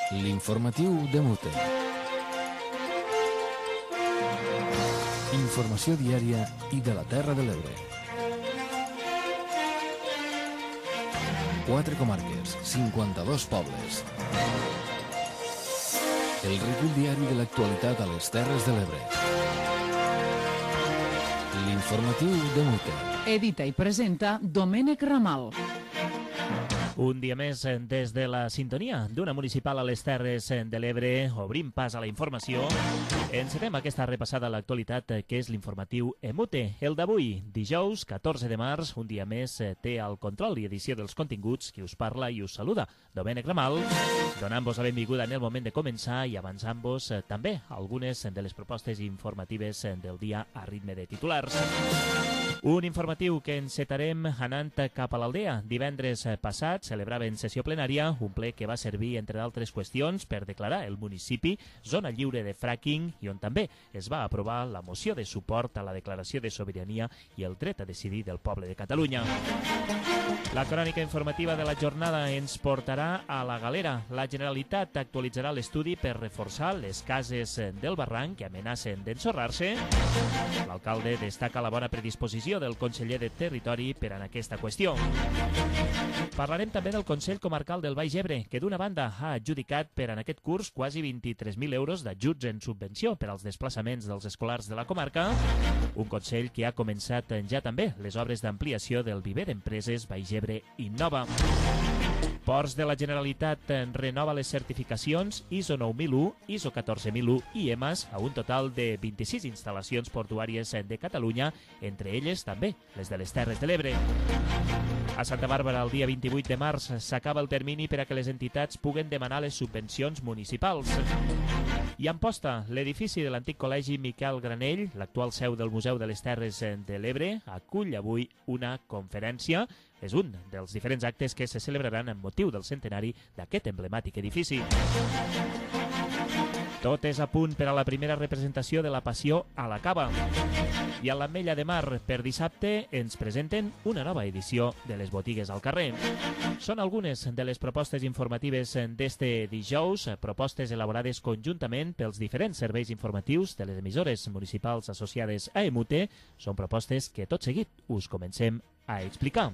L'informatiu de Mute. Informació diària i de la Terra de l'Ebre. 4 comarques, 52 pobles. El recull diari de l'actualitat a les Terres de l'Ebre. L'informatiu de Mute. Edita i presenta Domènec Ramal. Un dia més des de la sintonia d'una municipal a les Terres de l'Ebre, obrim pas a la informació. Encetem aquesta repassada a l'actualitat que és l'informatiu EMUTE. El d'avui, dijous 14 de març, un dia més té el control i edició dels continguts qui us parla i us saluda, Domènec Ramal, donant-vos la benvinguda en el moment de començar i avançant-vos també algunes de les propostes informatives del dia a ritme de titulars. Un informatiu que encetarem anant cap a l'Aldea. Divendres passat celebraven sessió plenària, un ple que va servir, entre d'altres qüestions, per declarar el municipi zona lliure de fracking i on també es va aprovar la moció de suport a la declaració de sobirania i el dret a decidir del poble de Catalunya. La crònica informativa de la jornada ens portarà a la Galera. La Generalitat actualitzarà l'estudi per reforçar les cases del barranc que amenacen d'ensorrar-se. L'alcalde destaca la bona predisposició del conseller de Territori per en aquesta qüestió. Parlarem també del Consell Comarcal del Baix Ebre, que d'una banda ha adjudicat per en aquest curs quasi 23.000 euros d'ajuts en subvenció per als desplaçaments dels escolars de la comarca, un Consell que ha començat ja també les obres d'ampliació del viver d'empreses Baix Ebre Innova. Ports de la Generalitat renova les certificacions ISO 9001, ISO 14001 i EMAS a un total de 26 instal·lacions portuàries de Catalunya, entre elles també les de les Terres de l'Ebre. A Santa Bàrbara, el dia 28 de març, s'acaba el termini per a que les entitats puguen demanar les subvencions municipals. I a Amposta, l'edifici de l'antic col·legi Miquel Granell, l'actual seu del Museu de les Terres de l'Ebre, acull avui una conferència. És un dels diferents actes que se celebraran amb motiu del centenari d'aquest emblemàtic edifici. Tot és a punt per a la primera representació de la Passió a la Cava. I a l'Ametlla de Mar, per dissabte, ens presenten una nova edició de les botigues al carrer. Són algunes de les propostes informatives d'este dijous, propostes elaborades conjuntament pels diferents serveis informatius de les emissores municipals associades a EMUTE. Són propostes que tot seguit us comencem a explicar.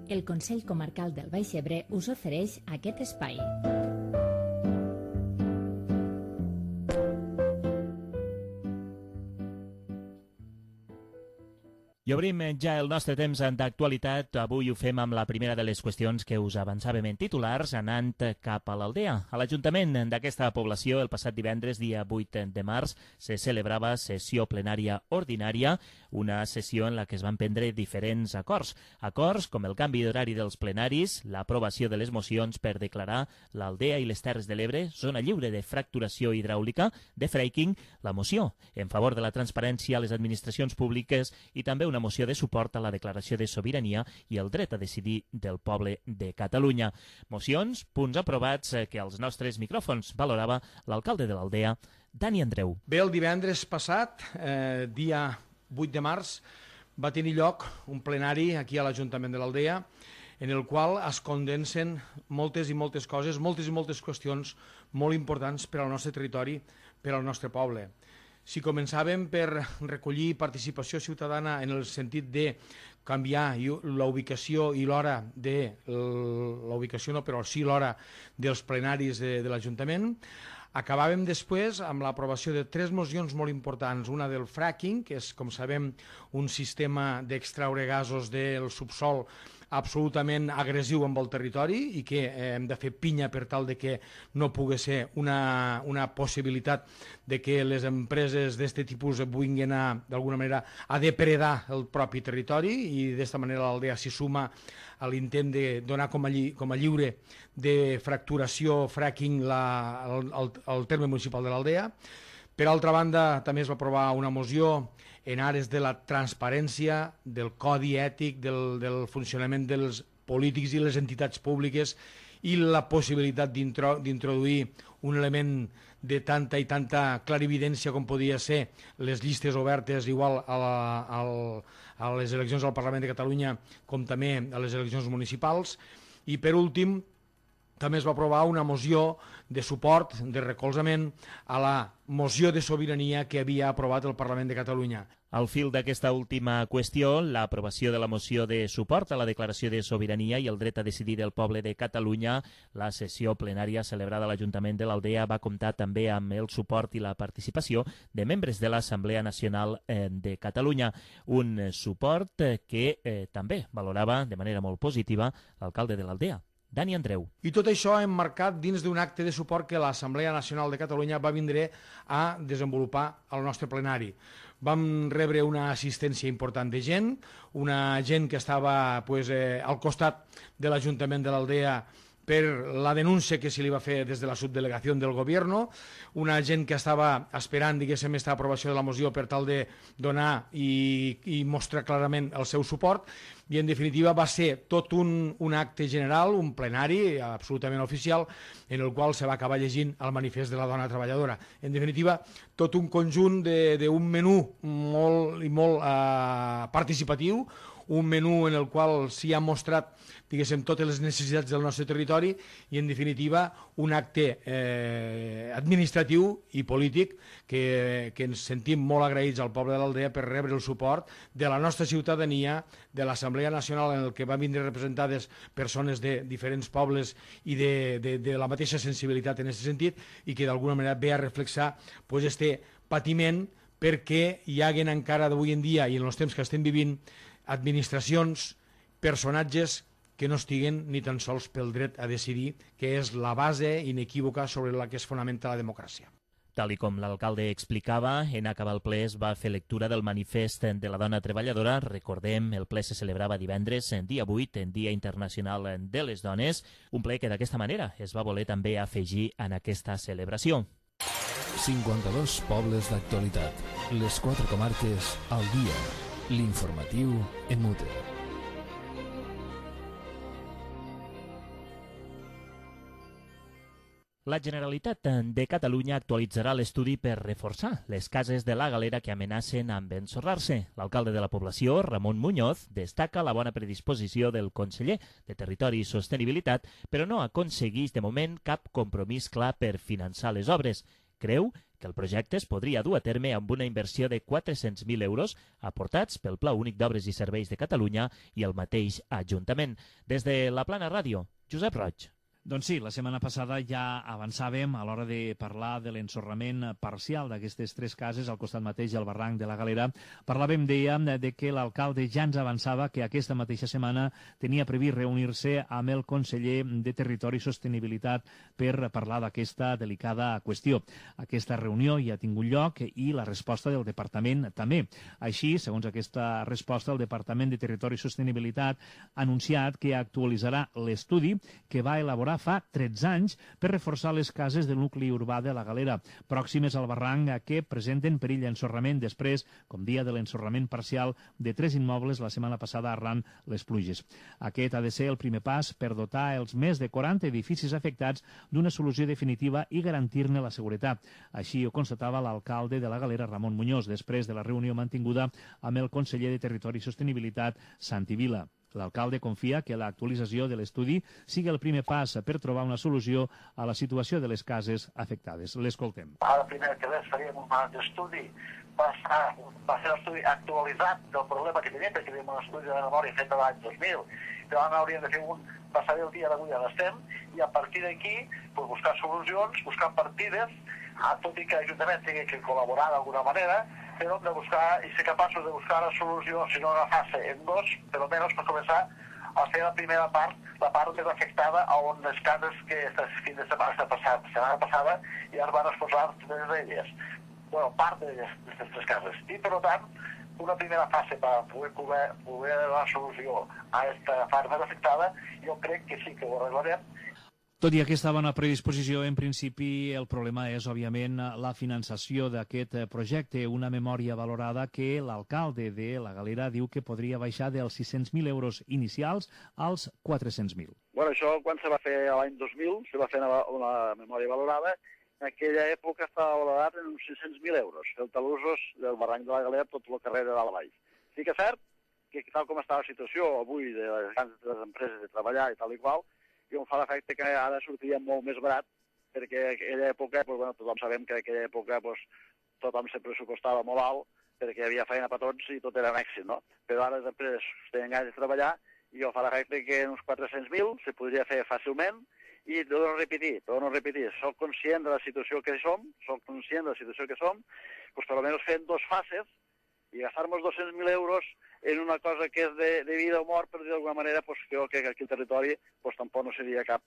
El Consell Comarcal del Baix Ebre us ofereix aquest espai. I obrim ja el nostre temps d'actualitat. Avui ho fem amb la primera de les qüestions que us avançàvem en titulars, anant cap a l'Aldea. A l'Ajuntament d'aquesta població, el passat divendres, dia 8 de març, se celebrava sessió plenària ordinària, una sessió en la que es van prendre diferents acords. Acords com el canvi d'horari dels plenaris, l'aprovació de les mocions per declarar l'Aldea i les Terres de l'Ebre zona lliure de fracturació hidràulica, de fracking, la moció en favor de la transparència a les administracions públiques i també una moció de suport a la declaració de sobirania i el dret a decidir del poble de Catalunya. Mocions, punts aprovats que als nostres micròfons valorava l'alcalde de l'Aldea, Dani Andreu. Bé, el divendres passat, dia 8 de març, va tenir lloc un plenari aquí a l'Ajuntament de l'Aldea en el qual es condensen moltes i moltes coses, moltes i moltes qüestions molt importants per al nostre territori, per al nostre poble. Si començàvem per recollir participació ciutadana en el sentit de canviar la ubicació i l'hora de la ubicació no, però sí l'hora dels plenaris de l'Ajuntament, acabàvem després amb l'aprovació de 3 mocions molt importants, una del fracking, que és, com sabem, un sistema d'extraure gasos del subsol absolutament agressiu amb el territori i que hem de fer pinya per tal de que no pugui ser una possibilitat de que les empreses d'aquest tipus vulguin d'alguna manera a depredar el propi territori i d'esta manera l'Aldea s'hi suma a l'intent de donar com a lliure de fracturació fracking al terme municipal de l'Aldea. Per altra banda, també es va aprovar una moció en ares de la transparència, del codi ètic, del funcionament dels polítics i les entitats públiques i la possibilitat d'introduir un element de tanta i tanta clarividència com podia ser les llistes obertes igual a les eleccions al Parlament de Catalunya com també a les eleccions municipals. I per últim també es va aprovar una moció de suport, de recolzament a la moció de sobirania que havia aprovat el Parlament de Catalunya. Al fil d'aquesta última qüestió, l'aprovació de la moció de suport a la declaració de sobirania i el dret a decidir del poble de Catalunya, la sessió plenària celebrada a l'Ajuntament de l'Aldea va comptar també amb el suport i la participació de membres de l'Assemblea Nacional de Catalunya, un suport que també valorava de manera molt positiva l'alcalde de l'Aldea, Dani Andreu. I tot això emmarcat dins d'un acte de suport que l'Assemblea Nacional de Catalunya va vindre a desenvolupar al nostre plenari. Vam rebre una assistència important de gent, una gent que estava al costat de l'Ajuntament de l'Aldea per la denúncia que se li va fer des de la subdelegació del govern, una gent que estava esperant, diguéssim, aquesta aprovació de la moció per tal de donar i mostrar clarament el seu suport, i en definitiva va ser tot un acte general, un plenari absolutament oficial, en el qual se va acabar llegint el manifest de la dona treballadora. En definitiva, tot un conjunt d'un menú molt participatiu, un menú en el qual s'hi ha mostrat, diguéssim, totes les necessitats del nostre territori i, en definitiva, un acte administratiu i polític que ens sentim molt agraïts al poble de l'Aldea per rebre el suport de la nostra ciutadania, de l'Assemblea Nacional, en el que van vindre representades persones de diferents pobles i de la mateixa sensibilitat en aquest sentit, i que d'alguna manera ve a reflexar este patiment perquè hi haguen encara d'avui en dia i en els temps que estem vivint administracions, personatges que no estiguen ni tan sols pel dret a decidir, que és la base inequívoca sobre la que es fonamenta la democràcia. Tal com l'alcalde explicava, en acabar el ple es va fer lectura del manifest de la dona treballadora. Recordem, el ple se celebrava divendres, dia 8, en Dia Internacional de les Dones, un ple que d'aquesta manera es va voler també afegir en aquesta celebració. 52 pobles d'actualitat, les 4 comarques al dia, l'informatiu EMUTE. La Generalitat de Catalunya actualitzarà l'estudi per reforçar les cases de la Galera que amenacen amb ensorrar-se. L'alcalde de la població, Ramon Muñoz, destaca la bona predisposició del conseller de Territori i Sostenibilitat, però no aconsegueix de moment cap compromís clar per finançar les obres. Creu que el projecte es podria dur a terme amb una inversió de 400.000 euros aportats pel Pla Únic d'Obres i Serveis de Catalunya i el mateix Ajuntament. Des de la Plana Ràdio, Josep Roig. Doncs sí, la setmana passada ja avançàvem a l'hora de parlar de l'ensorrament parcial d'aquestes 3 cases al costat mateix del barranc de la Galera. Parlàvem, dèiem, de que l'alcalde ja ens avançava que aquesta mateixa setmana tenia previst reunir-se amb el conseller de Territori i Sostenibilitat per parlar d'aquesta delicada qüestió. Aquesta reunió ja ha tingut lloc i la resposta del departament també. Així, segons aquesta resposta, el Departament de Territori i Sostenibilitat ha anunciat que actualitzarà l'estudi que va elaborar fa 13 anys per reforçar les cases del nucli urbà de la Galera, pròximes al barranc que presenten perill d'ensorrament després, com dia de l'ensorrament parcial de 3 immobles la setmana passada arran les pluges. Aquest ha de ser el primer pas per dotar els més de 40 edificis afectats d'una solució definitiva i garantir-ne la seguretat. Així ho constatava l'alcalde de la Galera, Ramon Muñoz, després de la reunió mantinguda amb el conseller de Territori i Sostenibilitat, Santi Vila. L'alcalde confia que l'actualització de l'estudi sigui el primer pas per trobar una solució a la situació de les cases afectades. L'escoltem. Ara, primer que res, faríem un estudi, va ser l'estudi actualitzat del problema que tenim, perquè tenim un estudi de memòria fet l'any 2000, però ara hauríem de fer un passaré el dia d'avui on estem, i a partir d'aquí buscar solucions, buscar partides, tot i que l'Ajuntament tingui que col·laborar d'alguna manera, però hem de buscar i ser capaços de buscar la solució, si no agafar-se en 2, per almenys per començar a fer la primera part, la part més afectada on les cases que fins de setmana passada ja es van exposar totes d'elles. Bueno, part d'aquestes 3 cases. I, per tant, una primera fase per poder donar solució a aquesta part més afectada, jo crec que sí que ho arreglarem. Tot i aquesta bona predisposició, en principi el problema és, òbviament, la finançació d'aquest projecte. Una memòria valorada que l'alcalde de la Galera diu que podria baixar dels 600.000 euros inicials als 400.000. Bueno, això quan se va fer l'any 2000, se va fer una memòria valorada. En aquella època estava valorat en uns 600.000 euros. El talussos del barranc de la Galera, tot el carrer de dalt a baix. Sí que és cert que tal com està la situació avui de les grans empreses de treballar i tal i qual, i em fa l'efecte que ara sortiria molt més barat, perquè en aquella època, tothom sabem que en aquella època tothom se pressupostava molt alt, perquè hi havia feina per tots i tot era un èxit, no? Però ara les empreses tenen ganes de treballar i em fa l'efecte que en uns 400.000 se podria fer fàcilment i torno a repetir, soc conscient de la situació que som, doncs per almenys fer en 2 fases i gastar-nos 200.000 euros en una cosa que és de vida o mort, per dir d'alguna manera, doncs crec que aquí al territori tampoc no seria cap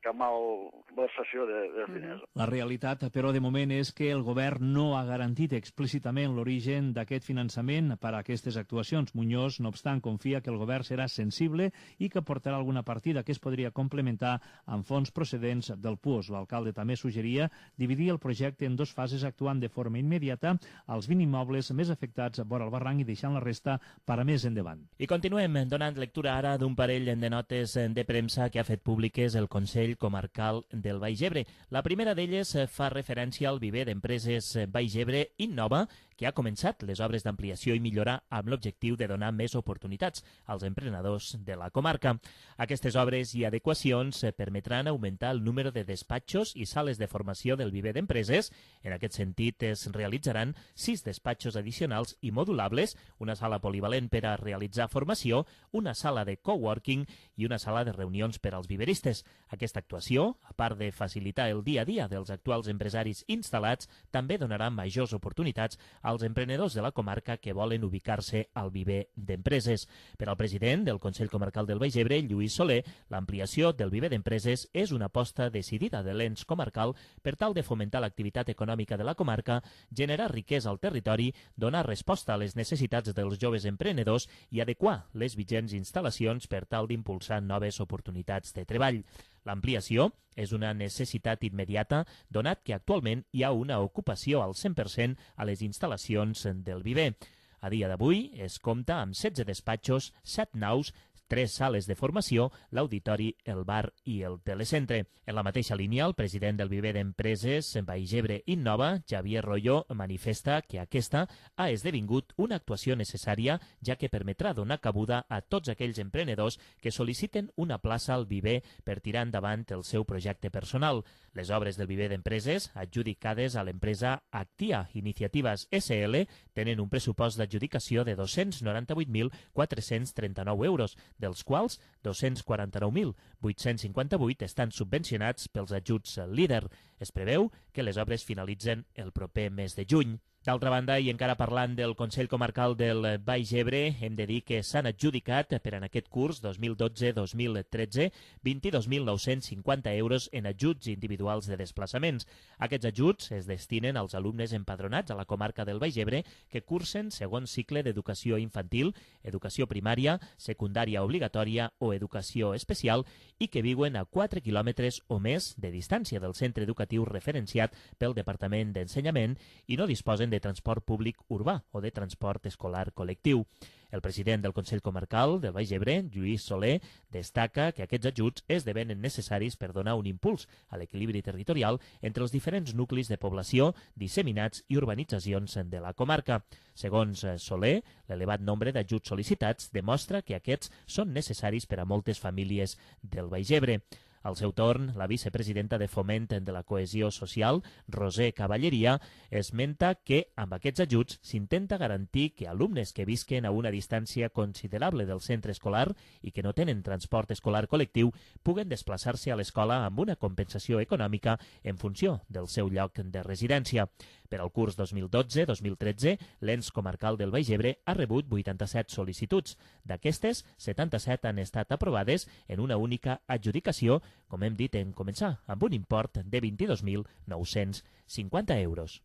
malversació dels diners. La realitat, però, de moment és que el govern no ha garantit explícitament l'origen d'aquest finançament per a aquestes actuacions. Muñoz, no obstant, confia que el govern serà sensible i que portarà alguna partida que es podria complementar amb fons procedents del PUOS. L'alcalde també suggeria dividir el projecte en 2 fases, actuant de forma immediata als 20 immobles més afectats vora el barranc i deixant la resta per a més endavant. I continuem donant lectura ara d'un parell de notes de premsa que ha fet públiques el Consell Comarcal del Baix Ebre. La primera d'elles fa referència al viver d'empreses Baix Ebre Innova, que ha començat les obres d'ampliació i millora amb l'objectiu de donar més oportunitats als emprenedors de la comarca. Aquestes obres i adequacions permetran augmentar el número de despatxos i sales de formació del viver d'empreses. En aquest sentit, es realitzaran 6 despatxos addicionals i modulables, una sala polivalent per a realitzar formació, una sala de coworking i una sala de reunions per als viveristes. Aquesta actuació, a part de facilitar el dia a dia dels actuals empresaris instal·lats, també donarà majors oportunitats als emprenedors de la comarca que volen ubicar-se al viver d'empreses. Per al president del Consell Comarcal del Baix Ebre, Lluís Soler, l'ampliació del viver d'empreses és una aposta decidida de l'ens comarcal per tal de fomentar l'activitat econòmica de la comarca, generar riquesa al territori, donar resposta a les necessitats dels joves emprenedors i adequar les vigents instal·lacions per tal d'impulsar noves oportunitats de treball. L'ampliació és una necessitat immediata, donat que actualment hi ha una ocupació al 100% a les instal·lacions del viver. A dia d'avui es compta amb 16 despatxos, 7 naus, 3 sales de formació, l'auditori, el bar i el telecentre. En la mateixa línia, el president del viver d'empreses Baix Ebre Innova, Javier Royo, manifesta que aquesta ha esdevingut una actuació necessària, ja que permetrà donar cabuda a tots aquells emprenedors que sol·liciten una plaça al viver per tirar endavant el seu projecte personal. Les obres del viver d'empreses, adjudicades a l'empresa Actia Iniciatives SL, tenen un pressupost d'adjudicació de 298.439 euros, dels quals 249.858 estan subvencionats pels ajuts LEADER. Es preveu que les obres finalitzen el proper mes de juny. D'altra banda, i encara parlant del Consell Comarcal del Baix Ebre, hem de dir que s'han adjudicat per en aquest curs 2012-2013 22.950 euros en ajuts individuals de desplaçaments. Aquests ajuts es destinen als alumnes empadronats a la comarca del Baix Ebre que cursen segon cicle d'educació infantil, educació primària, secundària obligatòria o educació especial i que viuen a 4 quilòmetres o més de distància del centre educatiu referenciat pel Departament d'Ensenyament i no disposen de transport públic urbà o de transport escolar col·lectiu. El president del Consell Comarcal del Baix Ebre, Lluís Soler, destaca que aquests ajuts esdevenen necessaris per donar un impuls a l'equilibri territorial entre els diferents nuclis de població, disseminats i urbanitzacions de la comarca. Segons Soler, l'elevat nombre d'ajuts sol·licitats demostra que aquests són necessaris per a moltes famílies del Baix Ebre. Al seu torn, la vicepresidenta de Foment de la Cohesió Social, Roser Cavalleria, esmenta que amb aquests ajuts s'intenta garantir que alumnes que visquen a una distància considerable del centre escolar i que no tenen transport escolar col·lectiu puguen desplaçar-se a l'escola amb una compensació econòmica en funció del seu lloc de residència. Per al curs 2012-2013, l'ens comarcal del Baix Ebre ha rebut 87 sol·licituds. D'aquestes, 77 han estat aprovades en una única adjudicació, com hem dit en començar, amb un import de 22.950 euros.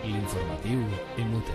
L'informatiu MUT.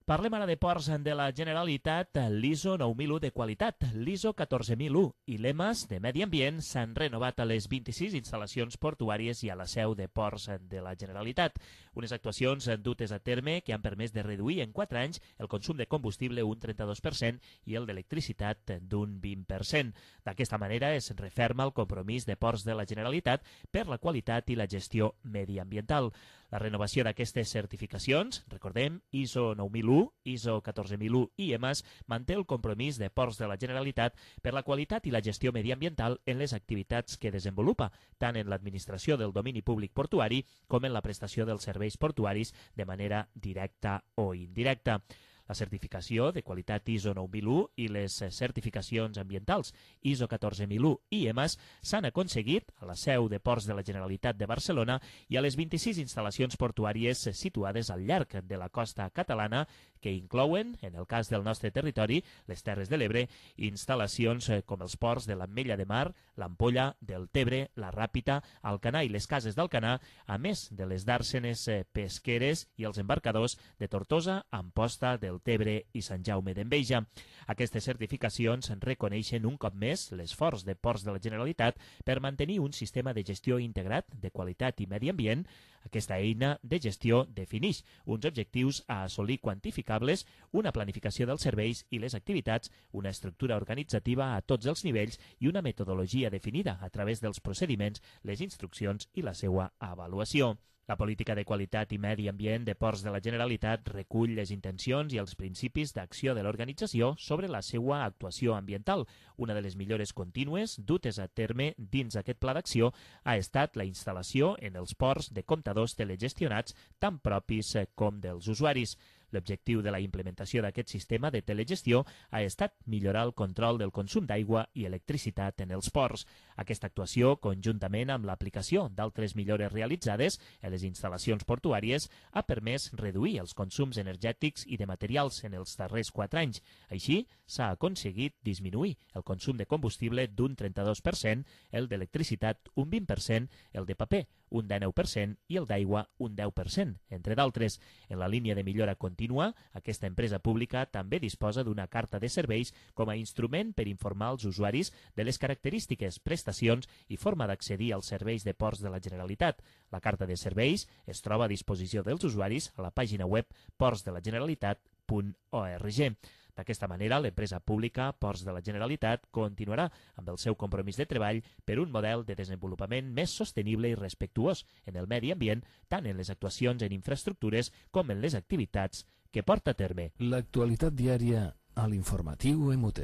Parlem ara de ports de la Generalitat, l'ISO 9001 de qualitat, l'ISO 14001 i l'EMAS de Medi Ambient s'han renovat a les 26 instal·lacions portuàries i a la seu de ports de la Generalitat. Unes actuacions dutes a terme que han permès de reduir en 4 anys el consum de combustible un 32% i el d'electricitat d'un 20%. D'aquesta manera es referma el compromís de ports de la Generalitat per la qualitat i la gestió mediambiental. La renovació d'aquestes certificacions, recordem, ISO 9001, ISO 14001 i EMAS, manté el compromís de ports de la Generalitat per la qualitat i la gestió mediambiental en les activitats que desenvolupa, tant en l'administració del domini públic portuari com en la prestació dels serveis portuaris de manera directa o indirecta. La certificació de qualitat ISO 9001 i les certificacions ambientals ISO 14001 i EMAS s'han aconseguit a la seu de Ports de la Generalitat de Barcelona i a les 26 instal·lacions portuàries situades al llarg de la costa catalana, que inclouen, en el cas del nostre territori, les Terres de l'Ebre, instal·lacions com els ports de l'Ametlla de Mar, l'Ampolla, del Tebre, la Ràpita, Alcanar i les Cases d'Alcanar, a més de les dàrsenes pesqueres i els embarcadors de Tortosa, Amposta, del Tebre i Sant Jaume d'Enveja. Aquestes certificacions reconeixen un cop més l'esforç de Ports de la Generalitat per mantenir un sistema de gestió integrat de qualitat i medi ambient. Aquesta eina de gestió defineix uns objectius a assolir quantificables, una planificació dels serveis i les activitats, una estructura organitzativa a tots els nivells i una metodologia definida a través dels procediments, les instruccions i la seva avaluació. La política de qualitat i medi ambient de Ports de la Generalitat recull les intencions i els principis d'acció de l'organització sobre la seva actuació ambiental. Una de les millores contínues dutes a terme dins aquest pla d'acció ha estat la instal·lació en els ports de comptadors telegestionats tant propis com dels usuaris. L'objectiu de la implementació d'aquest sistema de telegestió ha estat millorar el control del consum d'aigua i electricitat en els ports. Aquesta actuació, conjuntament amb l'aplicació d'altres millores realitzades en les instal·lacions portuàries, ha permès reduir els consums energètics i de materials en els darrers 4 anys. Així, s'ha aconseguit disminuir el consum de combustible d'un 32%, el d'electricitat un 20%, el de paper un 19% i el d'aigua un 10%, entre d'altres. En la línia de millora contínua, aquesta empresa pública també disposa d'una carta de serveis com a instrument per informar als usuaris de les característiques, prestacions i forma d'accedir als serveis de Ports de la Generalitat. La carta de serveis es troba a disposició dels usuaris a la pàgina web portsdelageneralitat.org. D'aquesta manera, l'empresa pública Ports de la Generalitat continuarà amb el seu compromís de treball per un model de desenvolupament més sostenible i respectuós en el medi ambient, tant en les actuacions en infraestructures com en les activitats que porta a terme. L'actualitat diària a l'informatiu MUT.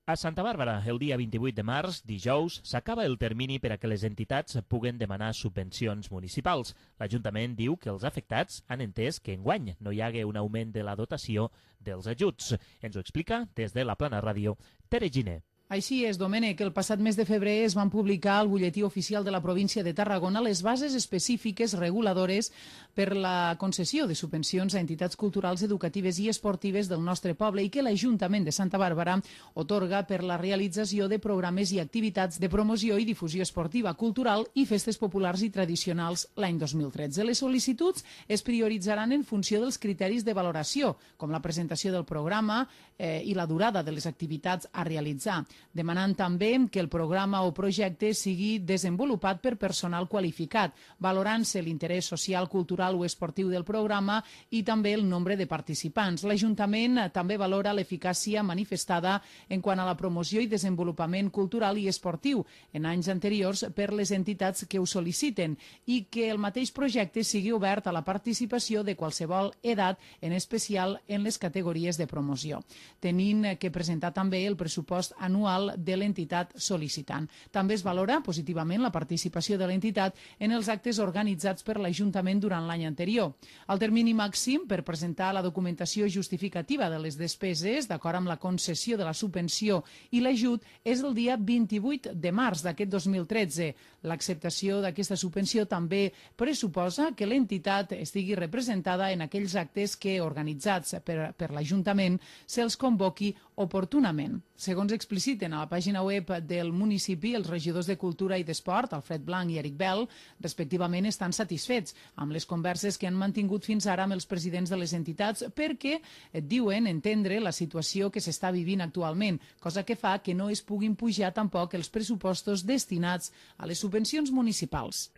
A Santa Bàrbara, el dia 28 de març, dijous, s'acaba el termini per a que les entitats puguen demanar subvencions municipals. L'Ajuntament diu que els afectats han entès que enguany no hi hagué un augment de la dotació dels ajuts. Ens ho explica des de la Plana Ràdio, Tere Giner. Així és, Domènec, el passat mes de febrer es van publicar al butlletí oficial de la província de Tarragona les bases específiques reguladores per la concessió de subvencions a entitats culturals, educatives i esportives del nostre poble i que l'Ajuntament de Santa Bàrbara otorga per la realització de programes i activitats de promoció i difusió esportiva, cultural i festes populars i tradicionals l'any 2013. Les sol·licituds es prioritzaran en funció dels criteris de valoració, com la presentació del programa i la durada de les activitats a realitzar, demanant també que el programa o projecte sigui desenvolupat per personal qualificat, valorant-se l'interès social, cultural o esportiu del programa i també el nombre de participants. L'Ajuntament també valora l'eficàcia manifestada en quant a la promoció i desenvolupament cultural i esportiu en anys anteriors per les entitats que ho sol·liciten i que el mateix projecte sigui obert a la participació de qualsevol edat, en especial en les categories de promoció, tenint que presentar també el pressupost anual de l'entitat sol·licitant. També es valora positivament la participació de l'entitat en els actes organitzats per l'Ajuntament durant l'any anterior. El termini màxim per presentar la documentació justificativa de les despeses, d'acord amb la concessió de la subvenció i l'ajut, és el dia 28 de març d'aquest 2013. L'acceptació d'aquesta subvenció també pressuposa que l'entitat estigui representada en aquells actes que, organitzats per l'Ajuntament, se'ls convoqui oportunament. Segons explicita citen a la pàgina web del municipi, els regidors de Cultura i d'Esport, Alfred Blanc i Eric Bell, respectivament, estan satisfets amb les converses que han mantingut fins ara amb els presidents de les entitats perquè diuen entendre la situació que s'està vivint actualment, cosa que fa que no es puguin pujar tampoc els pressupostos destinats a les subvencions municipals.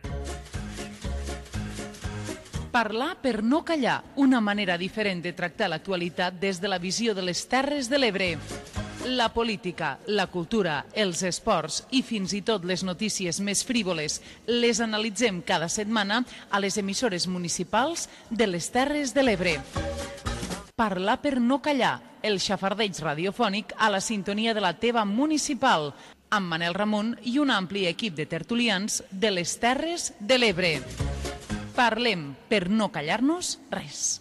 Parlar per no callar, una manera diferent de tractar l'actualitat des de la visió de les Terres de l'Ebre. La política, la cultura, els esports i fins i tot les notícies més frívoles les analitzem cada setmana a les emissores municipals de les Terres de l'Ebre. Parlar per no callar, el xafardeig radiofònic a la sintonia de la teva municipal, amb Manel Ramon i un ampli equip de tertulians de les Terres de l'Ebre. Parlem per no callar-nos res.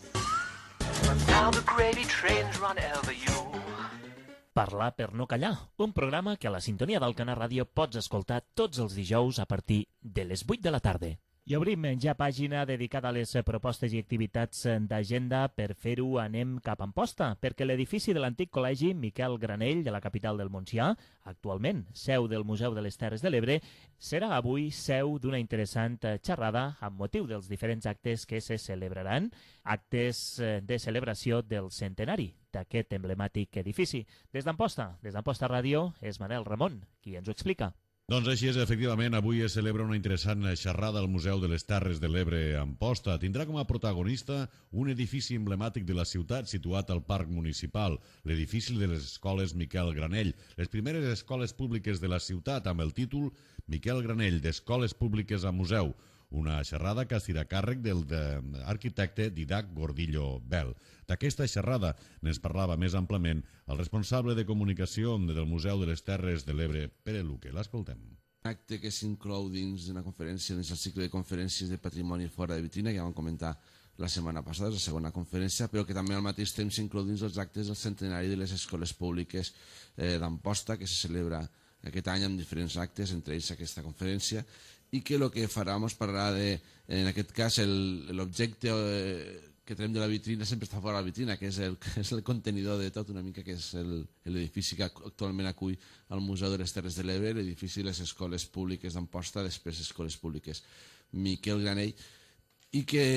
Parlar per no callar, un programa que a la sintonia d'Alcanar Ràdio pots escoltar tots els dijous a partir de les 8 de la tarda. I obrim ja pàgina dedicada a les propostes i activitats d'agenda. Per fer-ho anem cap a Amposta, perquè l'edifici de l'antic col·legi Miquel Granell de la capital del Montsià, actualment seu del Museu de les Terres de l'Ebre, serà avui seu d'una interessant xerrada amb motiu dels diferents actes que se celebraran, actes de celebració del centenari d'aquest emblemàtic edifici. Des d'Amposta Ràdio, és Manel Ramon qui ens ho explica. Doncs així és, efectivament, avui es celebra una interessant xerrada al Museu de les Terres de l'Ebre a Amposta. Tindrà com a protagonista un edifici emblemàtic de la ciutat situat al Parc Municipal, l'edifici de les escoles Miquel Granell, les primeres escoles públiques de la ciutat amb el títol Miquel Granell d'Escoles Públiques a Museu, una xerrada que estirà càrrec del arquitecte Didac Gordillo Bell. D'aquesta xerrada n'es parlava més amplament el responsable de comunicació del Museu de les Terres de l'Ebre, Pere Luque. L'escoltem. Un acte que s'inclou dins d'una conferència, dins el cicle de conferències de patrimoni fora de vitrina, que ja vam comentar la setmana passada, és la segona conferència, però que també al mateix temps s'inclou dins els actes del centenari de les escoles públiques d'Amposta, que se celebra aquest any amb diferents actes, entre ells aquesta conferència, i que el que farà ens parlarà de, en aquest cas, l'objecte que tenim de la vitrina sempre està fora de la vitrina, que és el contenidor de tot una mica, que és l'edifici que actualment acull el Museu de les Terres de l'Ebre, l'edifici de les escoles públiques d'Amposta, després escoles públiques Miquel Granell, i que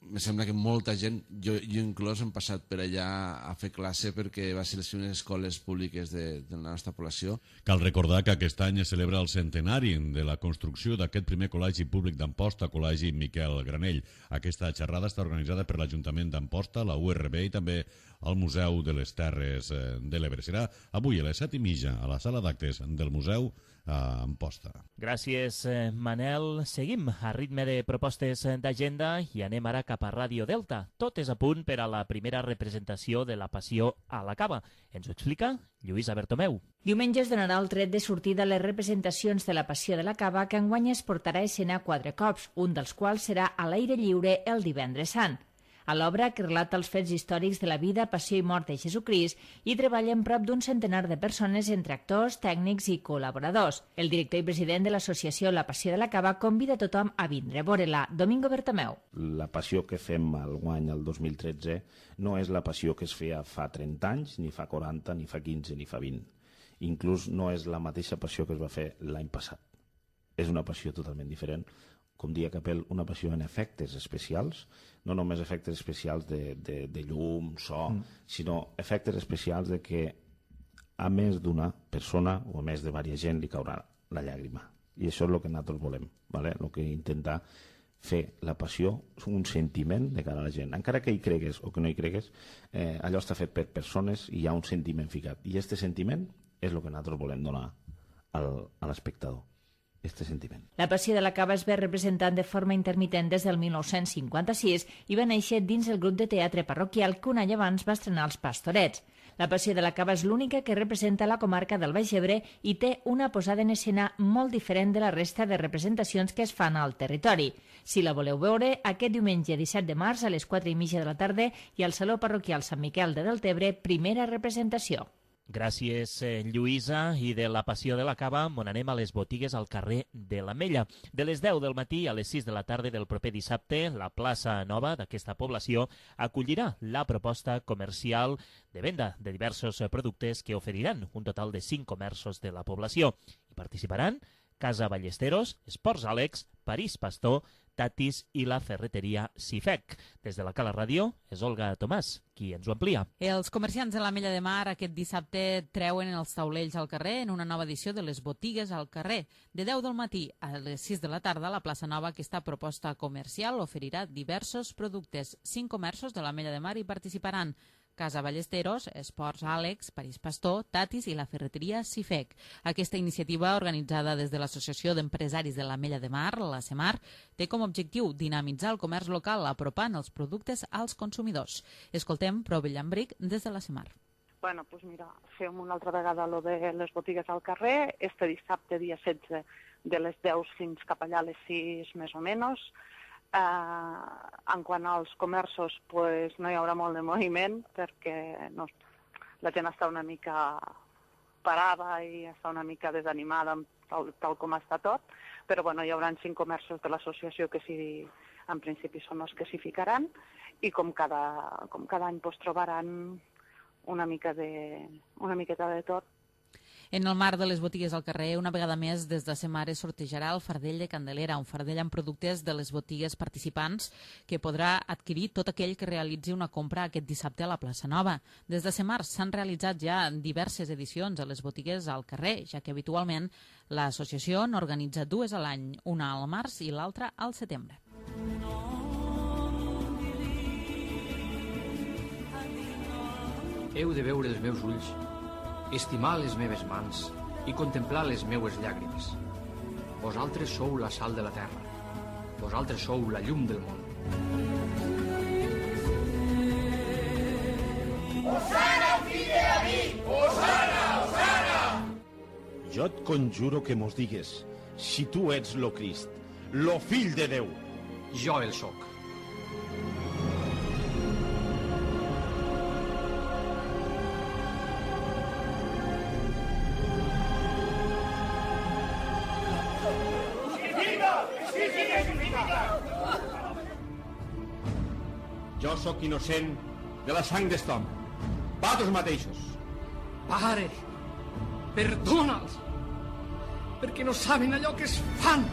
em sembla que molta gent, jo inclòs, hem passat per allà a fer classe perquè va ser les primeres escoles públiques de la nostra població. Cal recordar que aquest any es celebra el centenari de la construcció d'aquest primer col·legi públic d'Amposta, Col·legi Miquel Granell. Aquesta xerrada està organitzada per l'Ajuntament d'Amposta, la URB i també el Museu de les Terres de l'Ebre. Serà avui a les 7:30 a la sala d'actes del Museu a Amposta. Gràcies, Manel. Seguim a ritme de propostes d'agenda i anem ara cap a Ràdio Delta. Tot és a punt per a la primera representació de la Passió a la Cava. Ens ho explica Lluïsa Bertomeu. Diumenge es donarà el tret de sortida a les representacions de la Passió de la Cava, que enguany es portarà a escena 4 cops, un dels quals serà a l'aire lliure el Divendres Sant. A l'obra, que relata els fets històrics de la vida, passió i mort de Jesucrist, hi treballen prop d'un centenar de persones entre actors, tècnics i col·laboradors. El director i president de l'associació La Passió de la Cava convida a tothom a vindre a veure-la. Domingo Bertomeu. La passió que fem al guany el 2013 no és la passió que es feia fa 30 anys, ni fa 40, ni fa 15, ni fa 20. Inclús no és la mateixa passió que es va fer l'any passat. És una passió totalment diferent. Com dia Capel, una passió en efectes especials, no només efectes especials de llum, so, sinó efectes especials de que a més d'una persona o a més de diversa gent li caurà la llàgrima. I això és el que nosaltres volem, ¿vale? El que intenta fer la passió és un sentiment de cara a la gent. Encara que hi cregues o que no hi cregues, allò està fet per persones i hi ha un sentiment ficat. I aquest sentiment és el que nosaltres volem donar a l'espectador. Este sentiment. La Passió de la Cava es ve representant de forma intermitent des del 1956 i va néixer dins el grup de teatre parroquial que un any abans va estrenar els Pastorets. La Passió de la Cava és l'única que representa la comarca del Baix Ebre i té una posada en escena molt diferent de la resta de representacions que es fan al territori. Si la voleu veure, aquest diumenge 17 de març a les 4:30 de la tarda i al Saló Parroquial Sant Miquel de Deltebre, primera representació. Gràcies, Lluïsa. I de la passió de la cava, on anem a les botigues al carrer de l'Ametlla. De les 10 del matí a les 6 de la tarda del proper dissabte, la plaça nova d'aquesta població acollirà la proposta comercial de venda de diversos productes que oferiran un total de 5 comerços de la població. Hi participaran Casa Ballesteros, Esports Àlex, París Pastor, Tatis i la ferreteria Cifec. Des de la Cala Ràdio és Olga Tomàs, qui ens ho amplia. Els comerciants de l'Ametlla de Mar aquest dissabte treuen els taulells al carrer en una nova edició de les botigues al carrer. De 10 del matí a les 6 de la tarda, la plaça nova, aquesta proposta comercial, oferirà diversos productes. 5 comerços de l'Ametlla de Mar hi participaran: Casa Ballesteros, Esports Àlex, París Pastor, Tatis i la ferreteria Cifec. Aquesta iniciativa, organitzada des de l'Associació d'Empresaris de l'Ametlla de Mar, la CEMAR, té com a objectiu dinamitzar el comerç local apropant els productes als consumidors. Escoltem Provi Llambric des de la CEMAR. Bueno, doncs mira, fem una altra vegada lo de les botigues al carrer, este dissabte, dia 16, de les 10 fins cap allà a les 6 més o menys. En quant als comerços, pues, no hi haurà molt de moviment perquè no, la gent està una mica parada i està una mica desanimada tal com està tot, però bueno, hi haurà 5 comerços de l'associació que sí, en principi són els que s'hi ficaran, i com cada any pues, trobaran una miqueta de tot. En el marc de les botigues al carrer, una vegada més, des de CEMAR es sortejarà el fardell de Candelera, un fardell amb productes de les botigues participants que podrà adquirir tot aquell que realitzi una compra aquest dissabte a la plaça Nova. Des de CEMAR s'han realitzat ja diverses edicions a les botigues al carrer, ja que habitualment l'associació n'organitza 2 a l'any, una al març i l'altra al setembre. Heu de veure els meus ulls, estimar les meves mans i contemplar les meues llàgrimes. Vosaltres sou la sal de la terra. Vosaltres sou la llum del món. Osana, fill de David! Osana, Osana! Jo et conjuro que mos digues si tu ets lo Crist, lo fill de Déu. Jo el soc. Jo sóc innocent de la sang d'est home. Vosaltres mateixos. Pare, perdona'ls, perquè no saben allò que es fan.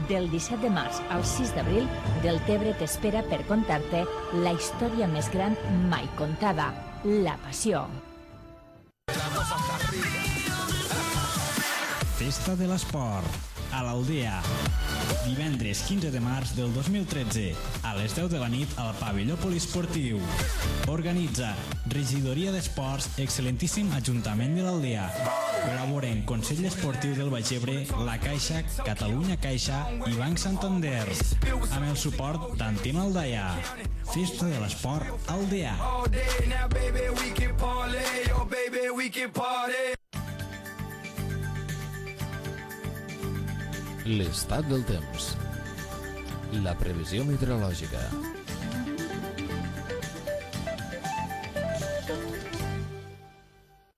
Del 17 de març al 6 d'abril, Deltebre t'espera per contar-te la història més gran mai contada, la Passió. Festa de l'Esport, a l'Aldea. Divendres 15 de març del 2013, a les 10 de la nit al pavelló poliesportiu. Organitza Regidoria d'Esports, excel·lentíssim Ajuntament de l'Aldea. Col·laboren Consell Esportiu del Baix Ebre, La Caixa, Catalunya Caixa i Banc Santander. Amb el suport d'Antim Aldaia. Festa de l'Esport Aldea. L'estat del temps. La previsió meteorològica.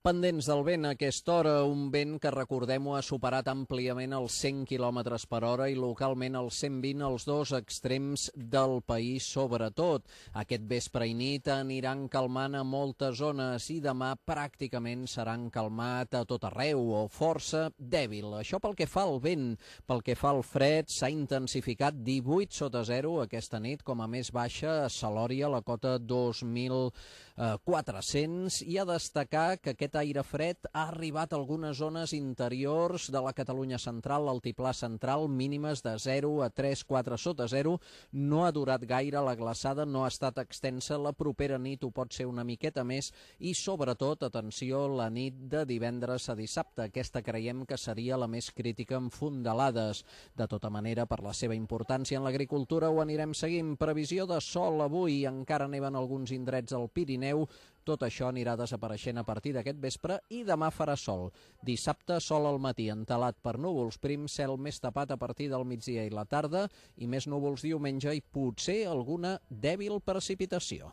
Pendents del vent a aquesta hora, un vent que, recordem-ho, ha superat àmpliament els 100 km per hora i localment els 120 als 2 extrems del país, sobretot. Aquest vespre i nit aniran calmant a moltes zones i demà pràcticament seran calmat a tot arreu o força dèbil. Això pel que fa al vent. Pel que fa al fred, s'ha intensificat 18 sota 0 aquesta nit, com a més baixa a Salòria, la cota 2.400, i a destacar que aquest aire fred ha arribat a algunes zones interiors de la Catalunya central, l'altiplà central, mínimes de 0 a 3-4 sota 0. No ha durat gaire la glaçada, no ha estat extensa. La propera nit ho pot ser una miqueta més i, sobretot, atenció, la nit de divendres a dissabte. Aquesta creiem que seria la més crítica amb fondalades. De tota manera, per la seva importància en l'agricultura, ho anirem seguint. Previsió de sol avui, encara neven alguns indrets al Pirineu. Tot això anirà desapareixent a partir d'aquest vespre i demà farà sol. Dissabte, sol al matí, entelat per núvols prims, cel més tapat a partir del migdia i la tarda i més núvols diumenge i potser alguna dèbil precipitació.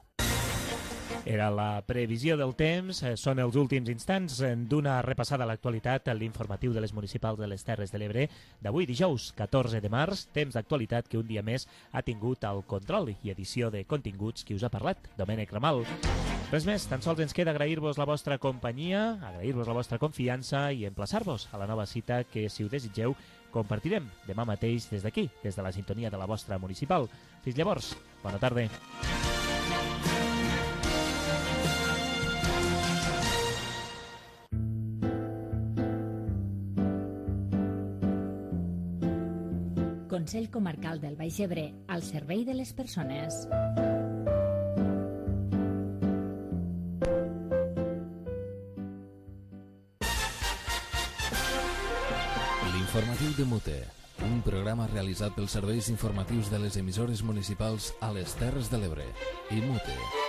Era la previsió del temps. Són els últims instants d'una repassada a l'actualitat a l'informatiu de les municipals de les Terres de l'Ebre d'avui dijous 14 de març, temps d'actualitat que un dia més ha tingut el control i edició de continguts qui us ha parlat, Domènec Ramal. Res més, tan sols ens queda agrair-vos la vostra companyia, agrair-vos la vostra confiança i emplaçar-vos a la nova cita que, si ho desitgeu, compartirem demà mateix des d'aquí, des de la sintonia de la vostra municipal. Fins llavors, bona tarda. Consell Comarcal del Baix Ebre, al servei de les persones. L'informatiu de Mute, un programa realitzat pels serveis informatius de les emissores municipals a les Terres de l'Ebre i Mute.